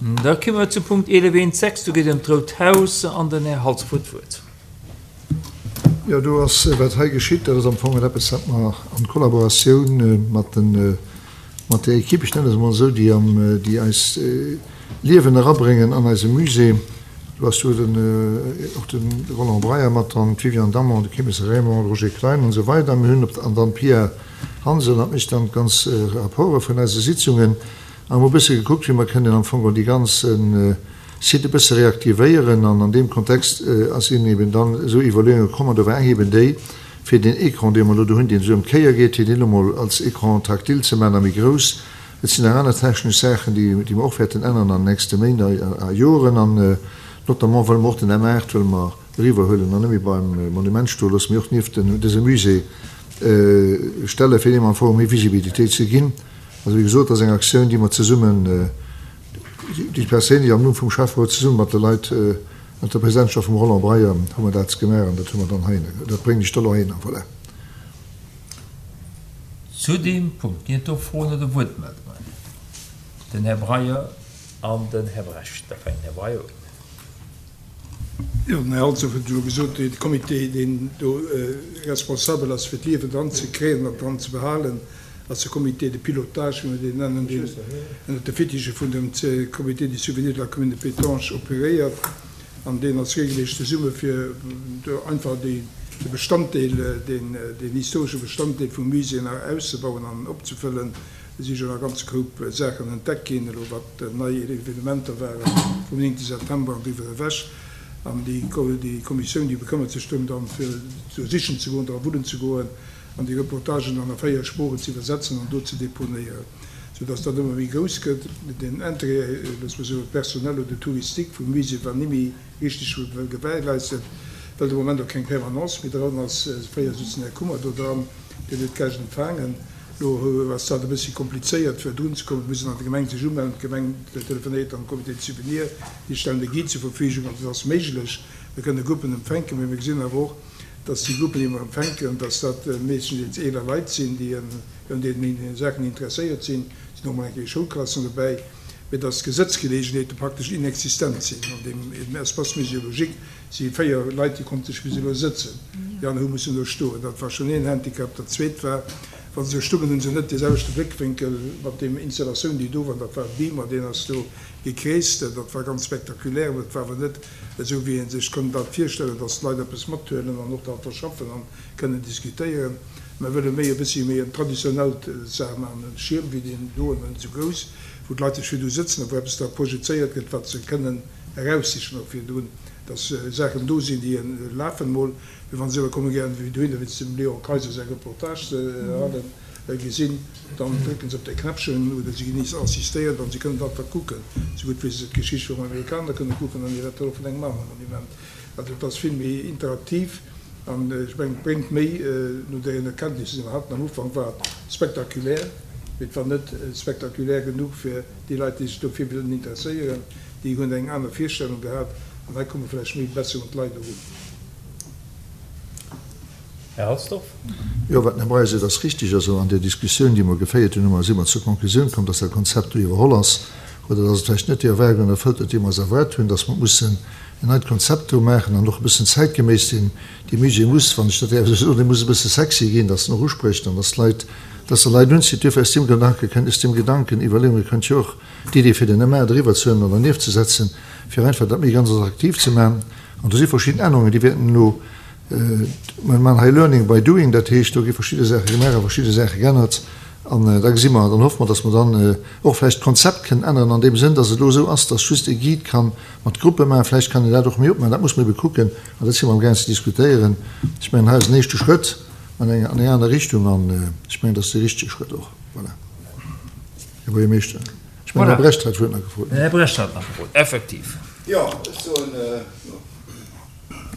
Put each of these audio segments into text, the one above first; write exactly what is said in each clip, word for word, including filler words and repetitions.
Da komme mer zum Punkt eelef eent sechs, do geet et ëm d'Rout Haus an den Här Halsdorf huet d'Wuert. Jo, do ass, wat hei geschitt, dat ass am Fong eppes, wat mer an Kollaboratioun mat den, mat där Equipe, ech nennen se emol esou, déi am, déi eis Liewen erabréngen an eise Musée. Do ass jo den, och de Roland Breyer mat dran, d'Viviane Damon, de Kimmes Raymond, de Roger Klein an esou weider. Mir hunn op, an dann d'Pia Hansel, dat mécht dann d'ganz Rapporte vun eise Sitzungen. A mir hu e bësse gekuckt, wéi mer kënnen am Fong déi ganz Site e bësse reaktivéieren. An an deem Kontext ass sinn eben dann esou Iwwerleeunge komm, an do war eng eben déi, fir deen Écran, dee mer elo do hunn, deen esou ëm d'Kéier geet, fir deen elo mol als Écran tactile ze maachen a méi grouss. Et sinn nach aner technesch Saachen, déi, déi mer och wäerten änneren an den nächste Méint a Joren. An notamment wëlle mer och den M aacht wëlle mer eriwwerhuelen an net méi beim Monument stoe loossen, mee och nieft dësem Musée stellen, fir deem am Fong méi Visibilitéit ze ginn. Also, wéi gesot, dat ass eng Aktioun, déi mer zesummen, déi ech perséinlech am Numm vum Schäfferot zesumme mat de Leit ënner der Presidentschaft vum Roland Breyer hu mer dat gemaach an dat hu mer dann heihinner, dat bréngen ech da elo heihinner. Voilà. Zu deem Punkt ginn et do Froen oder Wuertmeldungen? Den Här Breyer an den Här Brecht. Da fänkt den Här Breyer un. Jo, den Här Halsdorf huet et elo gesot, dee Comité, deen do responsabel ass, fir d'Liewen dran ze kréien an dran ze behalen, ass de Comité de pilotage, wéi mer deen nennen, deen ënnert de Fittiche vun dem Comité du souvenir de la commune de Pétange operéiert. An deen ass regelméisseg zesumme fir do einfach déi, de Bestanddeel, deen, deen historesche Bestanddeel vum Musée nach auszebauen an opzefëllen. Et si schonn e ganze Koup Saachen entdeckt ginn, elo wat nei Evenementer ware vum néngte September an driwwer ewech. An déi Kommissioun, déi bekëmmert sech drëm dann, fir do sichen ze goen, dra wullen ze goen an déi Reportagen dann a véier Sproochen ze iwwersetzen an do ze deponéieren, soudass dat ëmmer méi grouss gëtt. Den Intérêt, loosse mer soen, personnel oder touristique vum Musée war ni méi richteg gewährleistet, well de Moment och keng Permanence méi dran ass. Fréier sutz den Här Kummer do dran, deen huet d'Gäscht empfaangen. Lo ass dat e bëssi komplizéiert fir drun ze kommen. Et muss een an der Gemeng sech umellen, d'Gemeng telefonéiert dann de Comité de souvenir, déi stellen de Guide zur Verfügung. Also et ass méiglech, mir kënne Gruppen empfänken, mee mir gesinn awer och, dass déi Gruppen, déi mer empfänken, dass dat meeschtendeels eeler Leit sinn, déi un deenen Saachen interesséiert sinn. Et sinn och mol eng Kéier Schoulklassen dobäi, mee dass d'Gesëtzgeleegenheete praktesch inexistent sinn an deem Espace muséologique. Si véier Leit, déi konnte sech bis elo sëtzen, déi aner hu mussen do stoen. Dat war schonn een Handicap. Dat zweet war, wa se do stungen, hu se net dee selwechte Bléckwénkel mat deem Installatioun, déi do war. Dat war e Beamer, deen ass do gekreest. Dat war ganz spektakulär, mä et war awer net esou, wéi ee sech konnt dat virstellen, dass d'Leit eppes mathuelen an och dat verschaffen an kënnen diskutéieren. Mer wëlle méi e bëssi méi en traditionellt Saach maachen, en Schierm wéi deen doen, net esou grouss, wou d'Leit sech virdu sëtzen a wou eppes da projezéiert gëtt, wat se kënnen eraussichen och virdrun, dass Saachen do sinn, déi lafen emol, mee wa se iwwer kommen, gären wéi dohinner, wéinst dem Léon Kayser säi Reportage ze halen, gesinn, dann drécken se op dee Knäppchen oder si ginn nees assistéiert an se kënnen dat da kucken, esou gutt wéi se d'Geschicht vum Amerikaner kënne kucken an eventuell och vun engem anere Monument. Also et ass vill méi interaktiv an ech mengen, et bréngt méi no deenen Erkenntnisser, déi mer haten. Am Ufank war et spektakulär, mee et war net spektakulär genuch fir déi Leit, déi sech dofir wëllen interesséieren. Déi hunn eng aner Virstellung gehat an hei komme vläicht méi besser un d'Leit erun. Här Halsdorf. Jo, wat den Här Breyer seet, ass richtig. Also an där Diskussioun, déi mer geféiert hunn, hu mer, si mer zur Konklusioun komm, dass dat Konzept do iwwerholl ass oder dass et vläicht net déi Erwaardungen erfëllt huet, déi mer eis erwaart hunn, dass mer mussen en neit Konzept do maachen an och e bëssen zäitgeméiss sinn. Dee Musée muss, wann ech dat däerf esou soen, dee muss e bësse sexy ginn, dass en och usprécht an dass d'Leit, dass e Leit unzitt. Duerfir aus deem Gedanke kënnt, aus deem Gedanken, Iwwerleeunge kënnt jo och d'Idee fir den M A driwwer ze huelen an dernieft ze setzen, fir einfach dat méi ganz attraktiv ze maachen. An do si verschidden Ännerungen, déi wäerten elo, mer maachen hei Learning by doing, dat heescht, do gi verschidde Saache gemaach a verschidde Saache geännert. An da gesi mer, dann hoffe mer, datt mer dann och vläicht d'Konzept kënnen änneren an deem Sënn, datt et elo esou ass, datt just e Guide ka mat Gruppe maachen. Vläicht kann een dat och méi opmaachen, dat muss mer ebe kucken an dat si mer amgaang ze diskutéieren. Ech mengen, hei ass en éischte Schrëtt an eng an eng aner Richtung an ech mengen, dat ass dee richtege Schrëtt och. Voilà, Här Buergermeeschter. Ech mengen, den Här Brecht hat d'Wuert nach gefrot. Den Här Brecht hat nach gefrot, effektiv. Jo, ech soen,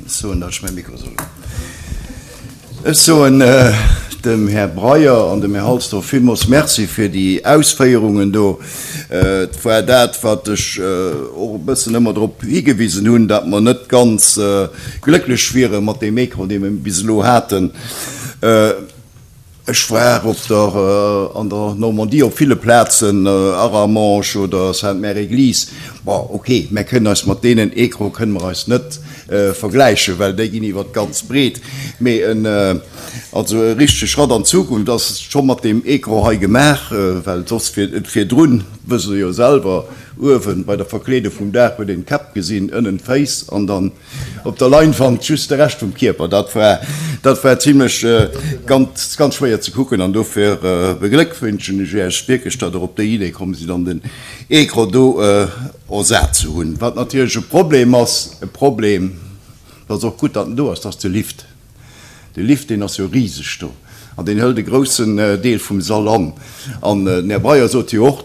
ech soen, datt ech mäi Mikro soll hunn. Ech soen dem Här Breyer an dem Här Halsdorf villmools Merci fir déi Ausféierungen do. Et war dat, wat ech och e bëssen ëmmer drop higewisen hunn, datt mer net ganz glécklech wiere mat deem Écran, dee mer bis elo haten. Ech war op der, an der Normandie op ville Plazen, Arramanche oder Sainte-Mère-Église. Bon, ok, mär kënnen eis mat deenen Ecrane kënne mer eis net vergläichen, well déi ginn iwwer d'ganz Breet. Mee en, also e richtege Schratt an d'Zukunft ass scho mat deem Ecran hei gemaach, well soss virdrun, wësst Der jo selwer, uewen bei der Verkleedung vum Daach huet een d'Käpp gesinn, ënnen d'Féiss an dann op der Leinwand just de Rescht vum Kierper. Dat war, dat war zimlech ganz, ganz schwéier ze kucken an dofir begléckwünschen ech Iech wierklech, datt Der op déi Idee komm sidd an den Ecran do ersat ze hunn. Wat natierlech e Problem ass, e Problem, dat ass och gutt, datt en do ass, dat ass de Lift. De Lift, deen ass jo riseg do an deen hëlt e groussen Deel vum Sall an. An den Här Breyer sot jo och,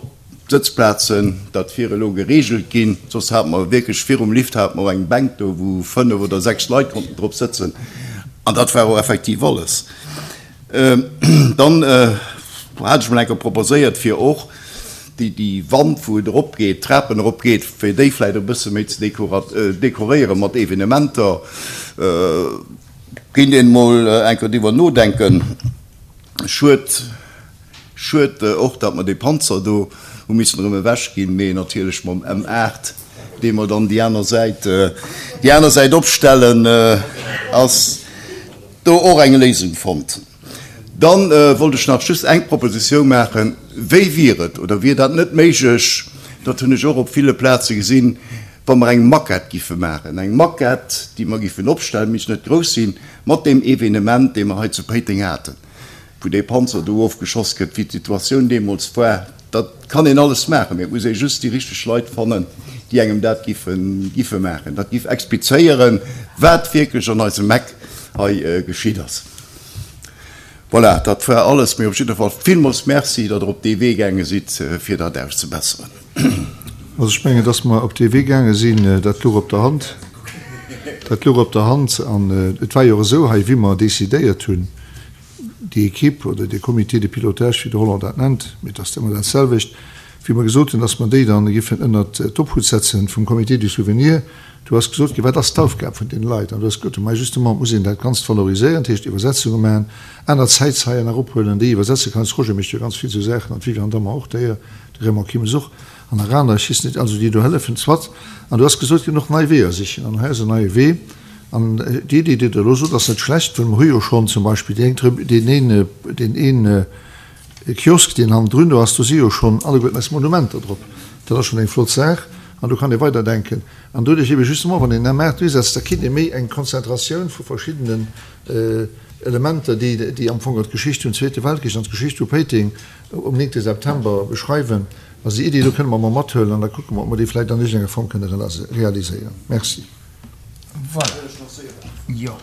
d'Sëtzplazen, dat wier elo geregelt ginn, soss hate mer wierklech virum Lift hate mer eng Bänk do, wou fënnef oder sechs Leit konnten drop sëtzen an dat war och effektiv alles. Dann hat ech mol eng Kéier proposéiert, fir och déi Wand, wou et eropgeet, d'Trapen eropgeet, fir déi vläicht e bësse méi ze dekoréiere mat Evenementer. Kéint een mol eng Kéier driwwer nodenken. Schued, schued och, datt mer dee Panzer do hu missen erëm ewech ginn, mee natierlech mam M aacht, dee mer dann déi aner Säit, déi aner Säit opstellen, ass do och eng Léisung fonnt. Dann wollt ech nach just eng Propositioun maachen, Wéi wier et, oder wier dat net méiglech, dat hunn ech och op ville Plaze gesinn, wa mer eng Maquette giffe maachen, eng Maquette, déi mer giffen opstellen, misst net grouss sinn, mat deem Evenement, dee mer hei zu Péiteng haten, wou dee Panzer do ofgeschoss gëtt, wéi d'Situatioun deemools war. Dat kann een alles maachen, mee et muss ee just déi richteg Leit fannen, déi engem dat giffe giffe maachen. Dat giff explizéieren, wat wierklech an eisem Eck hei geschitt ass. Voilà, dat war alles. Mee op jidde Fall villmools Merci, datt Der op dee Wee gaange sidd, fir dat auszebesseren. Also ech mengen, dass mer op dee Wee gaange sinn, dat louch op der Hand. Dat louch op der Hand. An et war jo och esou hei, wéi mer decidéiert hunn, déi Equipe oder dee Comité de pilotage, wéi de Roland dat nennt, mee et ass ëmmer dat selwecht, wéi mer gesot hunn, dass mer déi dann giffen ënnert d'Obhut setzen vum Comité du souvenir, do ass gesot ginn, wat ass d'Aufgab vun deene Leit? An do ass gesot ginn, ma justement, et muss een dat Ganzt valoriséieren, dat heescht Iwwersetzunge maachen, aner Zäitzeien nach ophuelen, déi iwwersetzen. Karl-Heinz Roger mécht jo ganz vill esou Saachen an d'Viviane Dammer och d'ailleurs, de Raymond Kimmes och an nach aner, ech weess net, also déi do hëllefen. Soit. An do ass gesot ginn, och nei Weeër sichen. An hei ass en neie Wee. An déi Iddi, déi Der elo sot, ass net schlecht, well mer hu jo schonn zum Beispill déi eng Trib-, deen een, deen een Kiosk, deen hannendrun do ass, do si jo schonn alleguerten eis Monumenter drop. Dat ass schonn eng flott Saach an do kann ee weiderdenken. An doduerch ebe justement, wann een M aacht usetzt, da kritt ee méi eng Konzentratioun vu verschiddenen Elementer, déi, déi am Fong d'Geschicht vum Zweete Weltkrich an d'Geschicht vu Péiteng um néngte September beschreiwen. Also déi Iddi do kënne mer emol mathuelen an da kucke mer, ob mer déi vläicht an iergendenger Form kënne realiséieren. Merci. Voilà. Jo.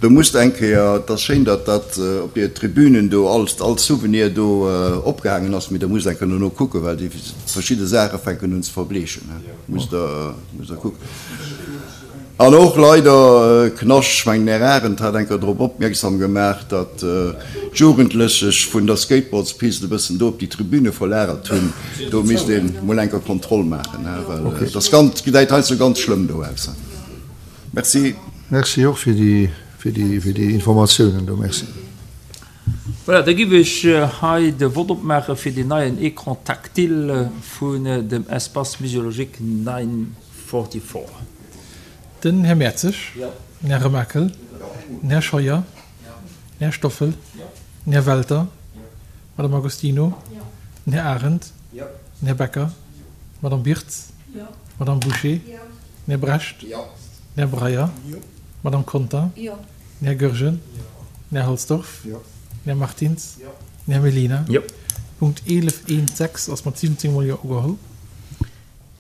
Do musst eng Kéier, et ass schéin, datt dat op deer Tribünen do alles, all Souvenir do opgehaangen ass, mee der musst eng Kéier dono kucken, well déi verschidde Saache fänken un ze verbleechen. Musst Der, musst Der kucken. An och leider Knascht, ech mengen den Här Arendt hat eng Kéier drop opmierksam gemaach, datt d'Jugendlech sech vun der Skateboardspist e bëssen do op déi Tribüne verlagert hunn. Do misst ee mol eng Kéier Kontroll maachen, well et ass ganz, gesäit heiansdo ganz schlëmm do aus. Merci. Merci och fir déi, fir déi, fir déi Informatiounen do. Merci. Voilà, da giff ech hei de Vott opmaache fir deen neien Écran tactile vun dem Espace muséologique nine forty-four. Den Här Mertzig, den Här Remakel, den Här Scheuer, den Här Stoffel, den Här Welter, d'Madame Agostino, den Här Arendt, den Här Becker, d'Madame Birtz, d'Madame Bouché, den Här Brecht, den Här Breyer, d'Madame Conter, den Här Goergen, den Här Halsdorf, den Här Martins, den Här Mellina. Punkt eelef eent sechs ass mat siwwenzéng mol Jo ugeholl.